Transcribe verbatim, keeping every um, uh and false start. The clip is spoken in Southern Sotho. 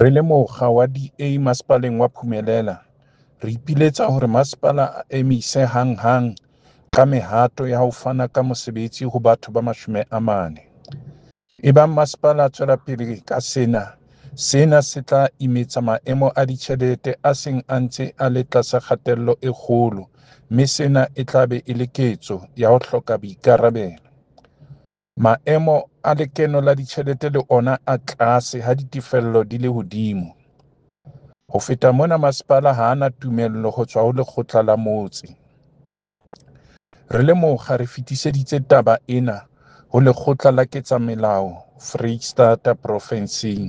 Re le mokga wa D A Masepaleng wa Phumelela, re ipiletsa hore masepala a emise hanghang ka mehato ya ho fana ka mosebetsi ho batho ba mashome a mane. Ebang masepala a tswela pele ka sena, sena se tla imetsa maemo a ditjhelete a seng a ntse a le tlasa kgatello e kgolo mme sena e tla be e le ketso ya ho hloka boikarabelo. Maemo a lekeno la ditjhelete le ona a tlase ha ditefello di le hodimo. Ho feta mona masepala ha a na tumello ho tswa ho lekgotla la motse. Re le mokga re fetiseditse taba ena ho Lekgotla la Ketsamelao Foreisetata Profenseng.